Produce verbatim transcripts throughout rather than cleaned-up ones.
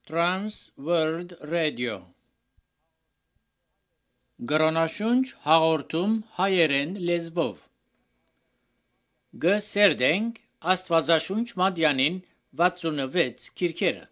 Trans World Radio Գրոնաշունչ հաղորդում հայերեն լեզվով Գսերդենք Աստվածաշունչ Մատյանին վաթսունվեց քիրքերը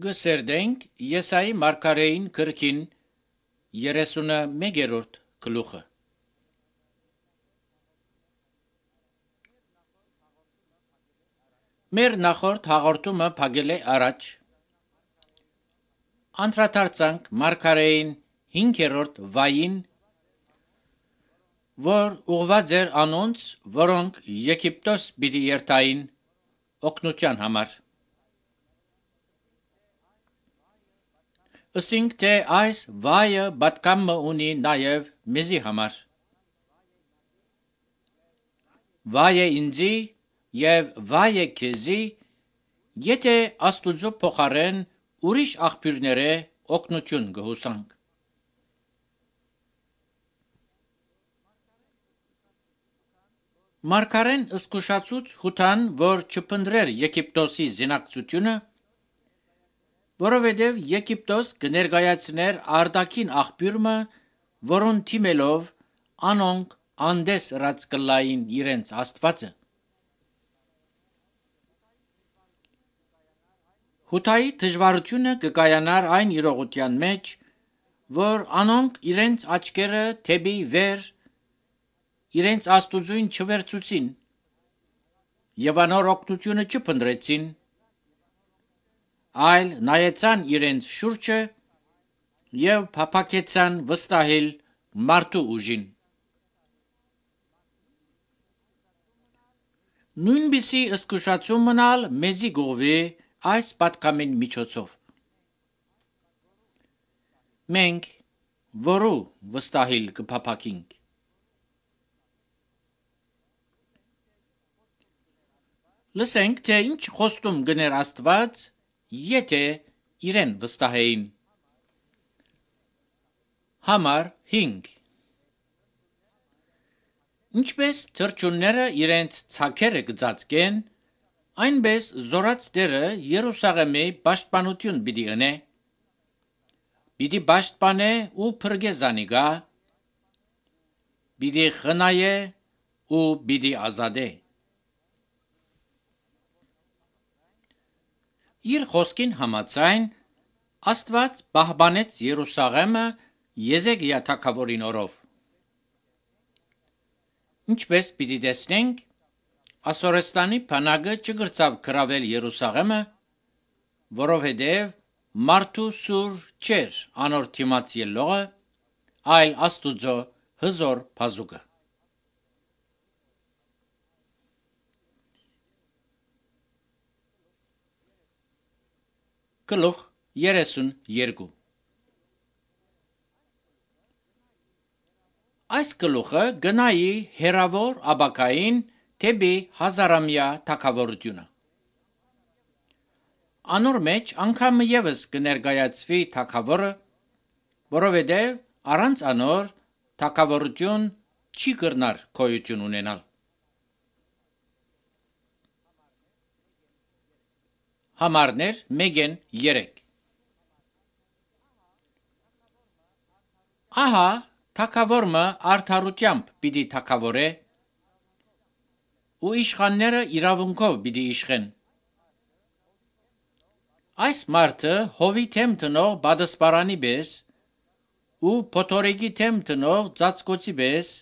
Գսերդենք Եսայի մարգարեին գրքին երեսունամեկերորդ գլուխը Մեր նախորդ հաղորդումը փակել է առաջ անդրադարձանք մարգարեին հինգերորդ վային որ ուղղված էր անոնց որոնք Եգիպտոս պիտի երթային օգնության համար Ըսինք թե այս վայը պատկամը ունի նաև մեզի համար Վայ է ինձի և վայ է քեզի եթե Աստուծո փոխարեն ուրիշ աղբյուրները օգնություն գհուսանք Մարգարեն ըսկուշացուց հութան որ չփնդրեր Եգիպտոսի զինակցությունը որովհետև Եգիպտոս կներկայացներ արտաքին աղբյուրը, որոն թիմելով անոնք անդես ըրած կլային իրենց աստվածը։ Հութայի դժվարությունը կկայանար այն իրողության մեջ, որ անոնք իրենց աչքերը թեպի վեր իրենց աստուծույն չվերցուցին եւ անոր օգնությունը չփնտրեցին, այլ նայեցան իրենց շուրջը եւ փափակեցան վստահել մարդու ուժին։ Նույնպիսի զգուշացում մնալ մեզի գովի այս պատկամին միջոցով։ Մենք որու վստահել կփափակինք։ Լսենք, թե ինչ խոստում գներ Աստված, եթե իրեն վստահեին։ Համար հինգ Ինչպես թրջունները իրենց ցակերը կծածկեն, այնպես զորած Տերը Երուսաղեմի պաշտպանություն պիտի ընե, պիտի պաշտպանե ու փրկե զանիգա, պիտի խնայե ու պիտի ազատե։ Իր խոսքին համաձայն Աստված պահպանեց Երուսաղեմը Եզեկիա թագավորին օրով։ Ինչպես պիտի տեսնենք, Ասորեստանի բանակը չգրծավ գրավել Երուսաղեմը, որովհետև մարդու սուր չէր անոր թիմաց ելողը, այլ Աստուծո հզոր բազուկը։ Գլուխ երեսուն երկու Այս գլուխը գնայի հերավոր աբակային թեպի հազարամյա թագավորությունը։ Անոր մեջ անգամ ևս կներկայացվի թագավորը, որովհետև առանց անոր թագավորություն չի կրնար գոյություն ունենալ։ Համարներ մեկ երեք Ահա թագավորը արդարությամբ պիտի թագավորե ու իշխանները իրավունքով պիտի իշխեն։ Այս մարդը հովի թեմ տնող բադասպարանի պես ու փոթորիկի թեմ տնող ծածկոցի պես,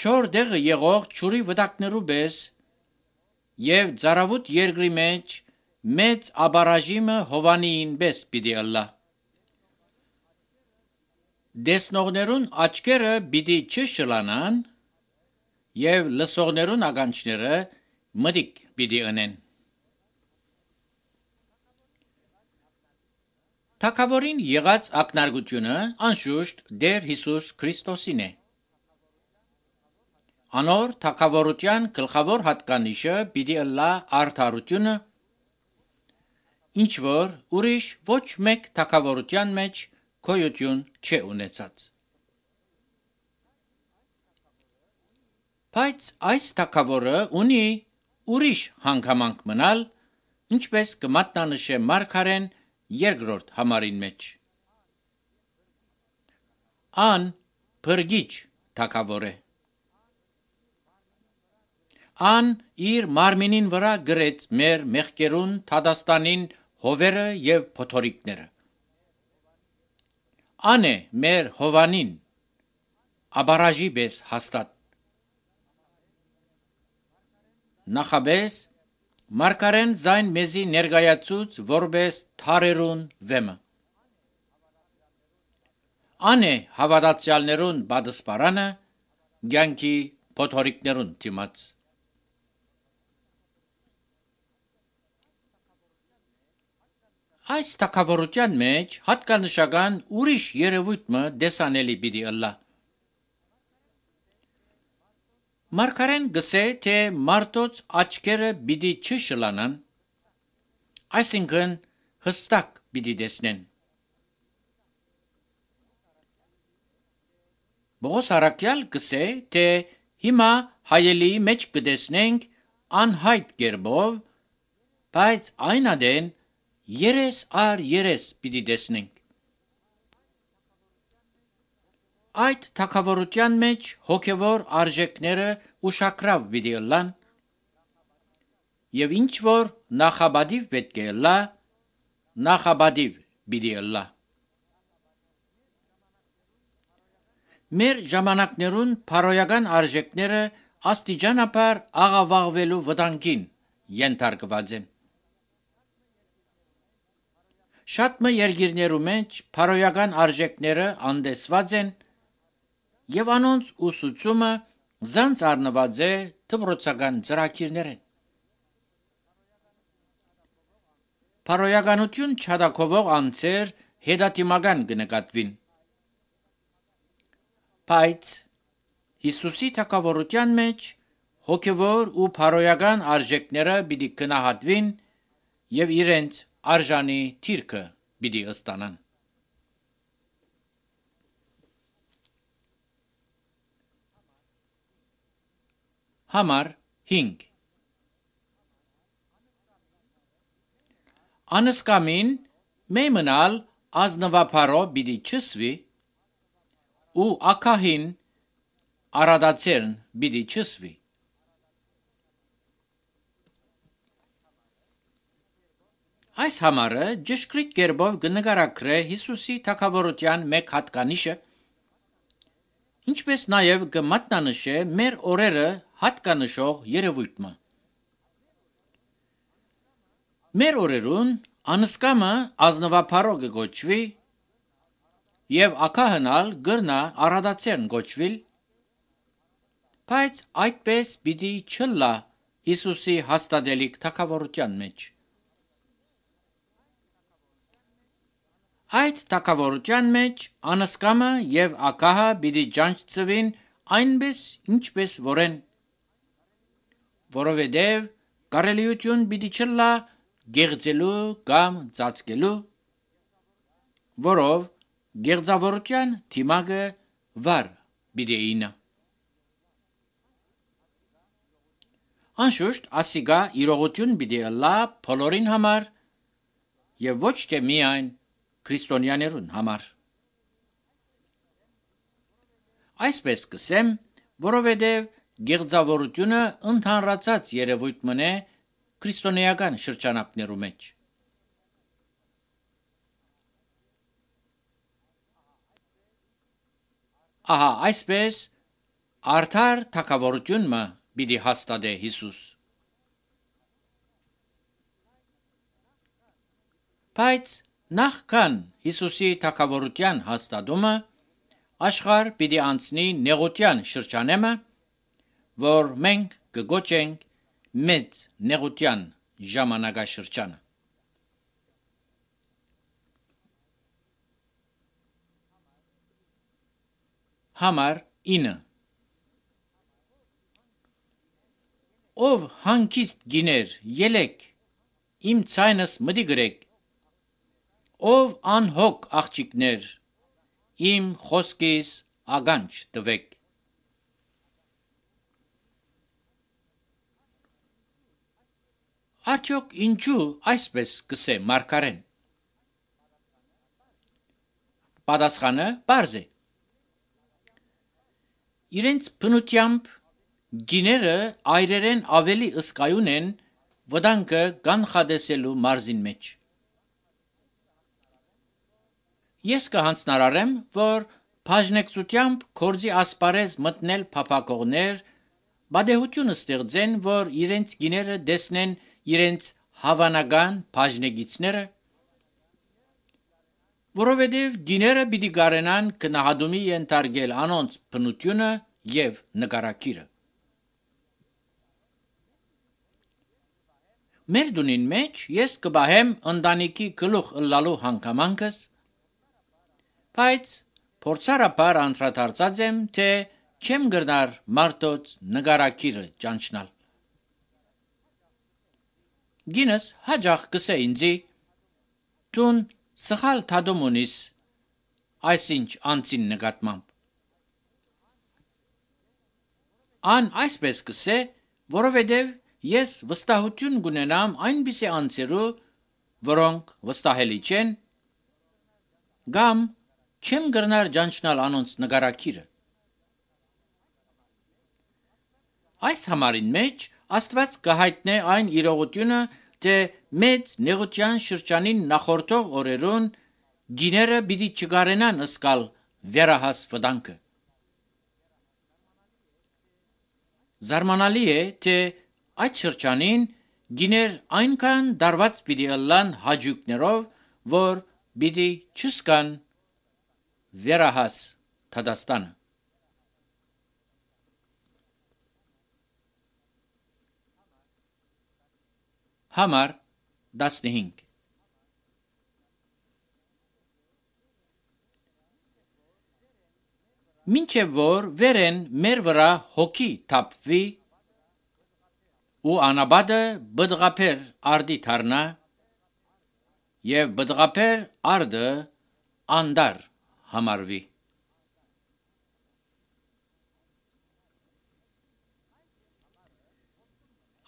չոր դեղը եղող ճուրի վտակներու պես եւ ծարավուտ երկրի մեջ մեծ աբարաժիմը հովանիին պես պիտի ըլլա։ Դեսնողներուն աչքերը պիտի չշլանան եւ լսողներուն ականջները մտիկ պիտի ընեն։ Թագավորին եղած ակնարկությունը անշուշտ Տեր Հիսուս Քրիստոսին է։ Անոր թագավորության գլխավոր հատկանիշը պիտի ըլլա արդարությունը, ինչ որ ուրիշ ոչ մեկ թագավորության մեջ գոյություն չէ ունեցած։ Բայց այս թագավորը ունի ուրիշ հանգամանք մնալ, ինչպես կմատնանշե Մարգարեն երկրորդ համարին մեջ։ Ան փրկիչ թագավոր է։ Ան իր մարմինին վրա գրեց մեր մեղքերուն թադաստանին հովերը եւ փոթորիկները։ Ան է մեր հովանին աբարաժի պես հաստատ։ Նախաբես Մարգարեն զայն մեզի ներկայացուց որպես թարերուն վեմը։ Ան է հավատացյալներուն բադասպարանը ցանկի փոթորիկներուն դիմաց։ Այս թագավորության մեջ հատկանշական ուրիշ երևույթը դեսանելի պիտի ըլլա։ Մարգարեն գսե, թե մարդոց աչքերը պիտի չշլանան, այսինքն հստակ պիտի տեսնեն։ Պողոս առաքյալ գսե, թե հիմա հայելի մեջ կտեսնենք անհայտ կերպով, բայց այն ադեն երես առ երես պիտի տեսնենք։ Այդ թակավորության մեջ հոգևոր արժեքները ուշակրավ պիտի ըլլան եւ ինչ որ նախաբադիվ պետք է ըլլա, նախաբադիվ պիտի ըլլա։ Մեր ժամանակներուն փարոյական արժեքները աստիճանաբար աղավաղվելու վտանգին ենթարկված են։ Շատ մը երկիրներու մեջ փարոյական արժեքները անդեսված են եւ անոնց ուսուցումը զանց առնված է դպրոցական ծրագիրներեն։ Փարոյականություն չադակովող անձեր հետադիմական կնկատվին։ Բայց Հիսուսի թակավորության մեջ հոգևոր ու փարոյական արժեքները պիտի գնահատվին եւ իրենց արժանի թիրքը պիտի ըստանան։ Համար հինգ Անսկամին մեյմնալ ազնվապարո պիտի չսվի ու ակահին արադացերն պիտի չսվի։ Այս համարը ճշգրիտ կերպով կնկարագրե Հիսուսի թագավորության մեկ հատկանիշը, ինչպես նաև կմատնանշե մեր օրերը հատկանշող երևույթը։ Մեր օրերուն անսկամը ազնվապարո կգոչվի եւ ակահնալ գրնա արադացերն գոչվիլ, բայց այդպես պիտի չլա Հիսուսի հաստատելիք թագավորության մեջ։ Այդ թագավորության մեջ անսկամը եւ ակահը պիտի ջանչծվին այնպես ինչպես որեն, որովհետեւ կարելիություն պիտի չլա գեղձելու կամ ծածկելու, որով գեղձավորության թիմակը վար պիտի ինը։ Անշուշտ ասիգա իրողություն պիտի ըլլա բոլորին համար եւ ոչ թե միայն քրիստոնյաներուն համար։ Այսպես կսեմ, որովհետեւ գեղձավորությունը ընդհանրացած երևույթ մնե քրիստոնեական շրջանակներու մեջ։ Ահա այսպես արդար թագավորությունը պիտի հաստատե Հիսուս։ Բայց նախքան Հիսուսի թագավորության հաստատումը աշխարհ պիտի անցնի նեղության շրջանեմը, որ մենք կգոչենք մեծ նեղության ժամանակաշրջանը։ Համար ինը Ով հանգիստ գիներ ելեք, իմ ցայնս մտի գրեք, ով անհոգ աղջիկներ, իմ խոսքիս ականջ տվեք։ Արդյոք ինչու այսպես կսե մարգարեն։ Պատասխանը պարզ է։ Իրենց բնությամբ գիները այրերեն ավելի ըսկայուն են վտանգը կանխատեսելու մարզին մեջ։ Ես կհանձնարարեմ, որ բաժնեկցությամբ կորձի ասպարեզ մտնել փափակողներ բադեհություն ստեղծեն, որ իրենց գիները դեսնեն իրենց հավանական բաժնեկիցները, որովհետև գիները պիտի գարենան քնահատումի ենթարկել անոնց բնությունը եւ նկարակիրը։ Մեր դունին մեջ ես կբահեմ ընտանիքի գլուխ ըլլալու հանգամանքս, բայց փորձառաբար անդրադարձած եմ, թե չեմ գրնար մարդոց նկարակիրը ճանչնալ։ Գինս հաջող կսե ինձի, տուն սխալ թադում ունիս այսինչ անցին նկատմամբ։ Ան այսպես կսե, որովհետև ես վստահություն կունենամ այնպիսի անձերու, որոնք վստահելի չեն, կամ չեմ գրնար ջանչնալ անոնց նգարակիրը։ Այս համարին մեջ Աստված կհայտնե այն իրողությունը, թե մեծ նեղության շրջանին նախորդող օրերուն գիները պիտի չգարենան ըսկալ վերահաս վտանգը։ Զարմանալի է, թե այդ շրջանին գիներ այնքան դարված պիտի ըլլան հաջուկներով, որ պիտի չսկան վերահաս Թադաստանը։ Համար տասնհինգ Մինչև որ վերեն մեր վրա հոգի թափվի ու անաբադը բդղապեր արդի թարնա և բդղապեր արդը անդար համարվի։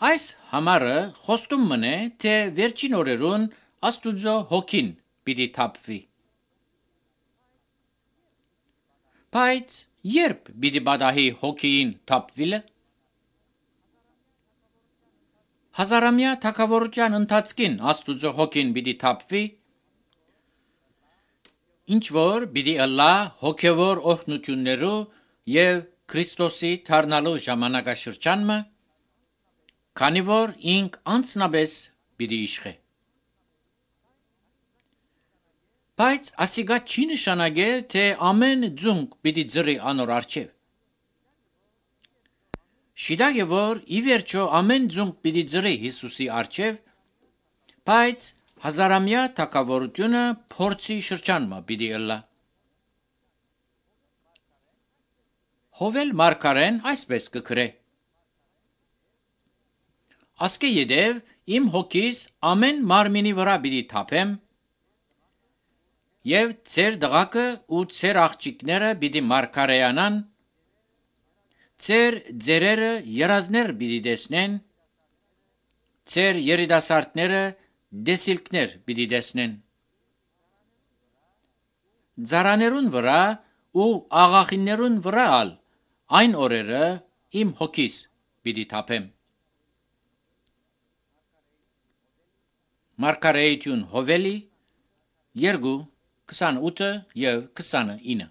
Այս համարը խոստում մնե, թե վերջին օրերուն Աստուծո հոգին պիտի թափվի։ Բայց երբ պիտի բադահի հոգին թափվիլը։ Հազարամյա թագավորության ընթացքին Աստուծո հոգին պիտի թափվի, ինչ որ պիտի ըլլա հոգևոր օրհնություններու և Քրիստոսի թարնալու ժամանակաշրջանը, քանի որ ինք անձնապես պիտի իշխե։ Բայց ասիկա չի նշանակե, թե ամեն ձունկ պիտի ձրի անոր առջև։ Շիդակ է, որ ի վերջո ամեն ձունկ պիտի ձրի Հիսուսի առջև, բայց հազարամյա թագավորությունը փորձի շրջանմա պիտի ըլլա։ Հովել մարգարեն այսպես կգրե. Ասկե յետև իմ հոգիս ամեն մարմինի վրա պիտի թափեմ, և ձեր դղակը ու ձեր աղջիկները պիտի մարգարեյանան, ձեր ձերերը երազներ պիտի տեսնեն, ձեր երիտասարդները տեսիլքներ պիտի տեսնեն։ Ձարաներուն վրա ու աղախիններուն վրա ալ այն օրերը իմ հոգիս պիտի թափեմ։ Մարգարեություն Հովելի երկու քսանութ և քսանինը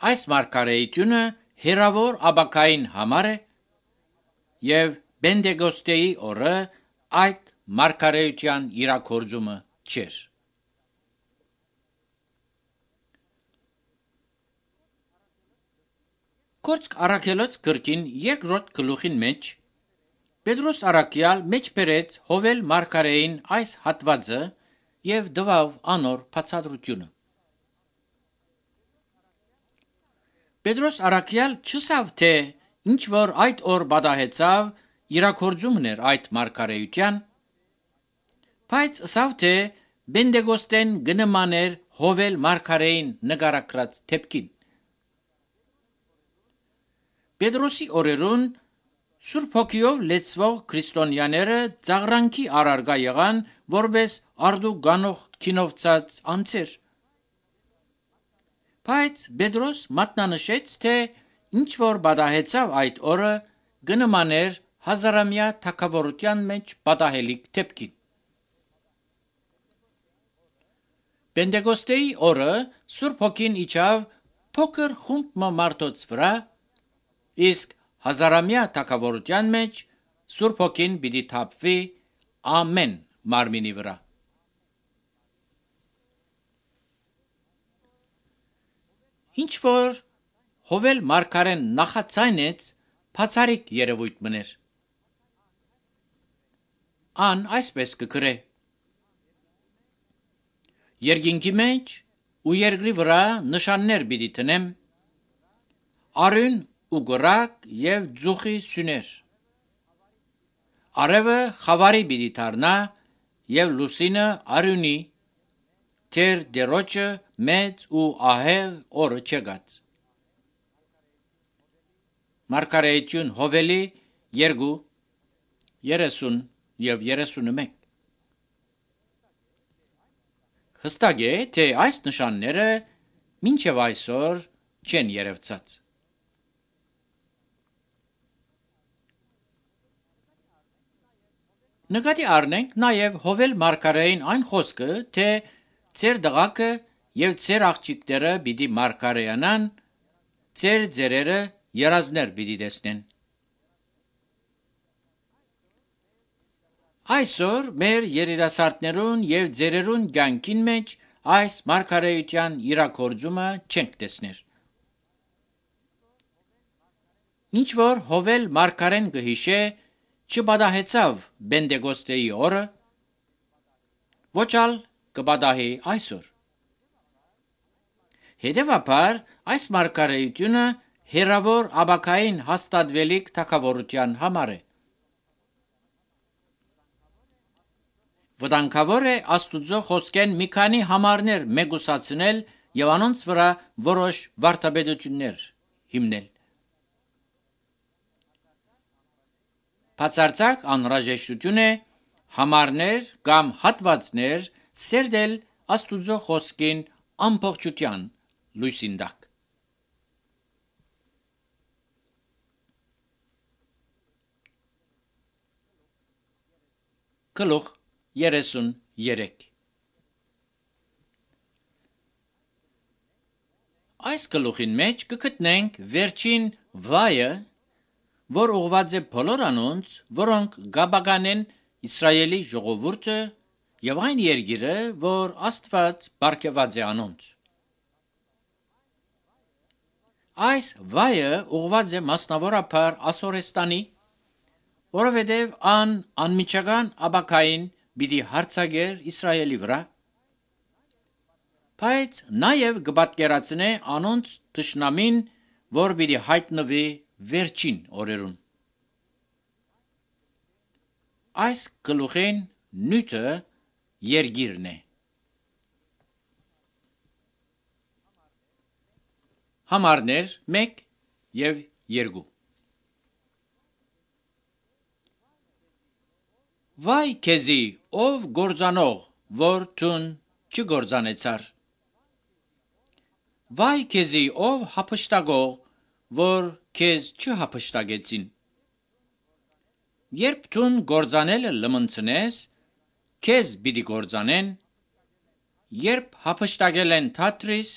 Այս մարգարեությունը հեռավոր ապագային համար է և Պենտեկոստեի օրը այդ մարգարեության իրագործումը չէր։ Գործք Առաքելոց գրքին երկրորդ գլուխին մեջ Պետրոս առաքյալ մեջբերեց Հովել մարգարեին այս հատվածը և տվավ անոր բացատրությունը։ Պետրոս առաքյալ չասավ, թե ինչ որ այդ օր պատահեցավ իրագործումն էր այդ մարգարեության, բայց ասավ, թե Պենտեկոստեն կնմաներ Հովել մարգարեին նկարագրած դեպքին։ Պետրոսի օրերուն Սուրբ Հոգիով լեցվող քրիստոնյաները ծաղրանքի առարկա եղան, որպես արդու գանող քինովցած անձեր։ Բայց Պետրոս մատնանշեց, թե ինչ որ պատահեցավ այդ օրը կնմաներ հազարամյա թագավորության մեջ պատահելիք դեպքին։ Պենտեկոստեի օրը Սուրբ Հոգին իջավ փոքր խումբ մարդոց վրա, իսկ հազարամյա թագավորության մեջ Սուրբ Հոգին պիտի թափվի ամեն մարմինի վրա։ Ինչ որ Հովել մարգարեն նախացայնեց, բացառիկ երևույթ մներ։ Ան այսպես կգրե. Երկինքի մեջ ու երկրի վրա նշաններ պիտի տնեմ, արյուն ու կրակ և ձուխի սյուներ։ Արևը խավարի պիտի դառնա և լուսինը արյունի, թեր Տերոջը մեծ ու ահեղ օրը չեկած։ Մարգարեություն Հովելի երկու երեսուն և երեսունմեկ Հստակ է, թե այս նշանները մինչև այսօր չեն երևցած։ Նկատի առնենք նաև Հովել մարգարեին այն խոսքը, թե ձեր դղակը եւ ձեր աղջիկները պիտի մարգարեյանան, ձեր ձերերը երազներ պիտի տեսնեն։ Այսօր մեր երիտասարդներուն եւ ձերերուն կյանքին մեջ այս մարգարեության իրագործումը չենք տեսներ։ Ինչ որ Հովել մարգարեն կհիշե, չպատահեցավ Բենտեկոստեի օրը, ոչ ալ կպատահի այսօր։ Հետևաբար այս մարգարեությունը հերավոր աբակային հաստատվելիք թագավորության համար է։ Վտանգավոր է Աստուծո խոսքեն մի քանի համարներ մեգուսացնել եւ անոնց վրա որոշ վարդապետություններ հիմնել։ Բացարձակ անհրաժեշտություն է համարներ կամ հատվածներ սերդել Աստուծո խոսքին ամբողջության լույսին տակ։ Գլուխ երեսուններեք Այս գլուխին մեջ կգտնենք վերջին վայը, որ ուղված է բոլոր անոնց, որոնք գաբականեն Իսրայելի ժողովուրդը եւ այն երկիրը, որ Աստված բարգեւած է անոնց։ Այս վայը ուղված է մասնավորապես Ասորեստանի, որովհետև ան անմիջական աբակային պիտի հարցակեր Իսրայելի վրա, բայց նաև կպատկերացնե անոնց թշնամին, որ պիտի հայտնվի վերջին օրերուն։ Այս գլուխին նյութը երկիրն է։ Համարներ մեկ եւ երկու Վայ քեզի, ով գործանող, որ տուն չգործանեցար։ Վայ քեզի, ով հափշտակող, որ քեզ չհափշտակեցին։ Երբ տուն գործանելը լմնցնես, քեզ պիտի գործանեն, երբ հափշտակել են թատրիս,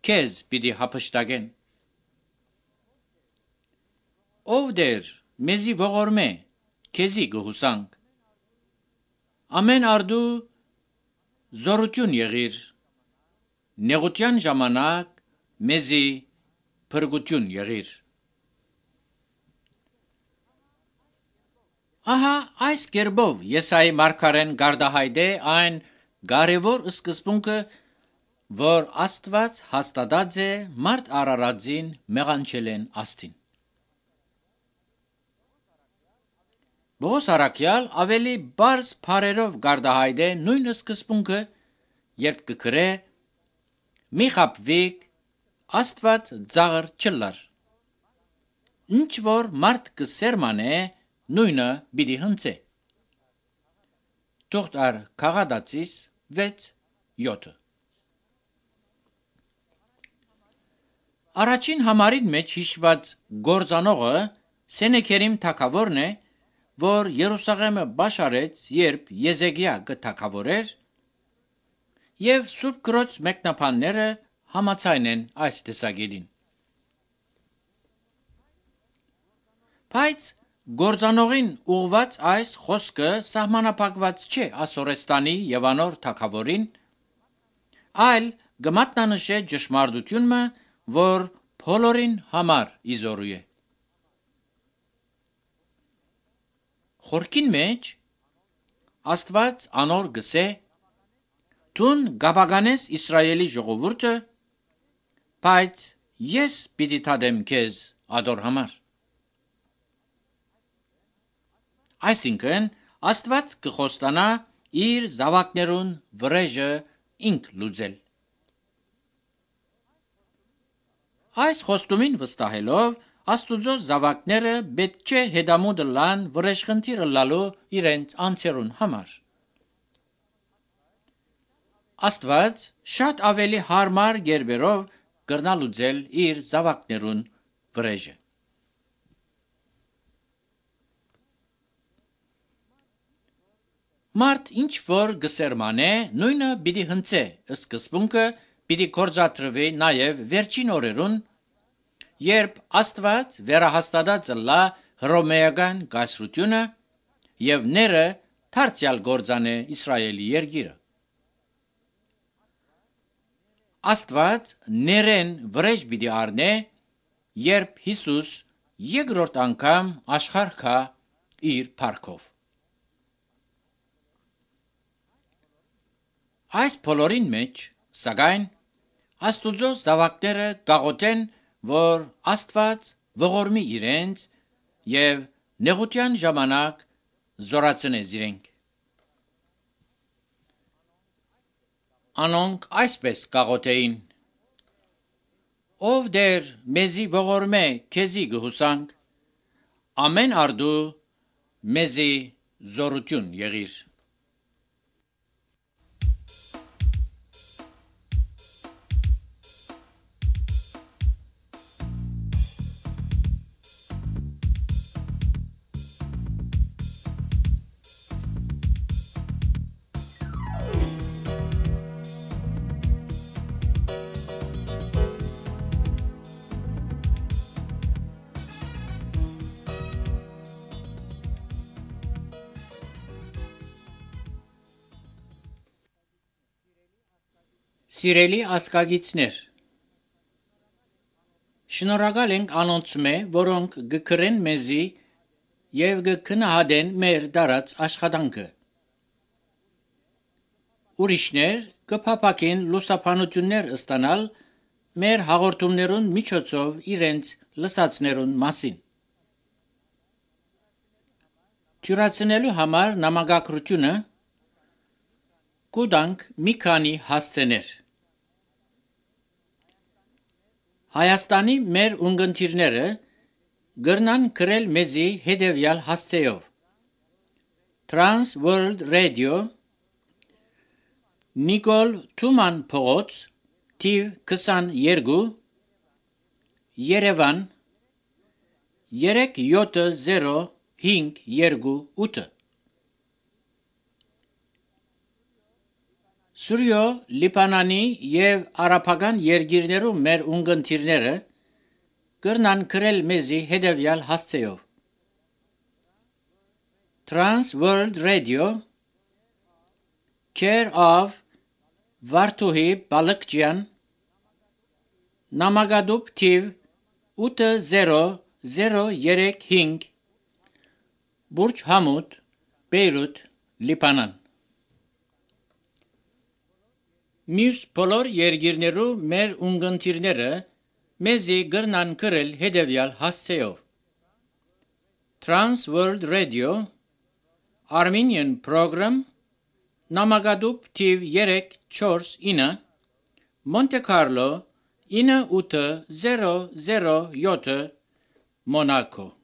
քեզ պիտի հափշտակեն։ Ով դեր մեզի ողորմե, քեզի գհուսանք։ Ամեն արդու զորություն եղիր, նեղության ժամանակ մեզի փրկություն եղիր։ Ահա այս կերպով Եսայի մարգարեն գարդահայտե այն կարևոր սկզբունքը, որ Աստված հաստատած է մարդ Արարածին մեղանչելեն աստին։ Բողոս առաքյալ ավելի բարձ բառերով գարդահայտե նույն սկզբունքը, երբ կգրե մի խաբվիկ Աստված ծաղր չլար։ Ինչ որ մարդ կսերմանե, նույնը պիտի հնցե։ Թուղթ առ Քաղատացիս վեց յոթ Առաջին համարին մեջ հիշված գործանողը Սենեքերիմ թագավորն է, որ Երուսաղեմը բաշարեց, երբ Եզեկիա կթագավորեր, եւ Սուրբ Գրոց մեկնաբանները համաձայն են այս տեսակետին։ Բայց գործանողին ուղված այս խոսքը սահմանափակված չէ Ասորեստանի եւ անոր թագավորին, այլ կմատնանշե ճշմարտությունը, որ բոլորին համար իզորու է։ Խորքին մեջ Աստված անոր գսե Տուն գաբականես Իսրայելի ժողովուրդը, բայց ես պիտի թադեմ քեզ ադոր համար։ Այսինքն Աստված կխոստանա իր զավակներուն վրեժը ինք լուծել։ Այս խոստումին վստահելով Աստուծո զավակները պետք չէ հետամուտ լան վրեժխնդիրը լալու իրենց անձերուն համար։ Աստված շատ ավելի հարմար գերբերով կրնալուծել իր զավակներուն վրեժը։ Մարդ ինչ որ գսերմանե, նույնը պիտի հնցե, սկզբունքը պիտի կործատրվի նաև վերջին օրերուն, երբ Աստված վերահաստատած լա հռոմեական կայսրությունը եւ ները դարձյալ գործանե Իսրայելի երկիրը։ Աստված ներեն վրեժ պիտի առնե, երբ Հիսուս երկրորդ անգամ աշխարհ կա իր փառքով։ Այս բոլորին մեջ, սակայն, Աստուծո զավակները գաղութեն, որ Աստված ողորմի իրենց եւ նեղության ժամանակ զորացնե իրենք։ Անոնք այսպես գաղութեին. Ով դեր մեզի ողորմե քեզի գհուսանք, ամեն արդու մեզի զորություն եղիր։ Սիրելի ասկագիցներ, շնորհակալ ենք անոնց մե, որոնք գկրեն մեզի եւ գքնահատեն մեր դարած աշխատանքը։ Ուրիշներ կփապակեն լուսապանություններ ստանալ մեր հաղորդումներուն միջոցով իրենց լսածներուն մասին։ Թյուրացնելու համար նամակագրությունը կուտանք մի քանի հասցեներ։ Հայաստանի մեր ունգընտիրները գրնան գրել մեզի հետևյալ հասցեով. Trans World Radio, Նիկոլ Թուման փողոց, թիվ քսաներկու, Երևան երեք յոթ զիրո հինգ երկու ութ։ Սուրյո Լիբանանի եւ արաբական երկիրներում մեր ունգընտիրները կրնան գրել մեզի հետևյալ հասցեով. Trans World Radio, Care of Վարդուհի Բալկջյան, Նամակադուբ թիվ ութ զիրո զիրո երեք հինգ, Բուրջ Համուդ, Բեյրութ, Լիբանան։ Մյուս բոլոր երկիրներու մեր ունգընտիրները մեզի գրնան գրել հետևյալ հասցեով. Trans World Radio, Armenian Program, Նամակադուբ թիվ երեք չորս ինը, Monte Carlo ինը ութ զիրո զիրո յոթ, Monaco։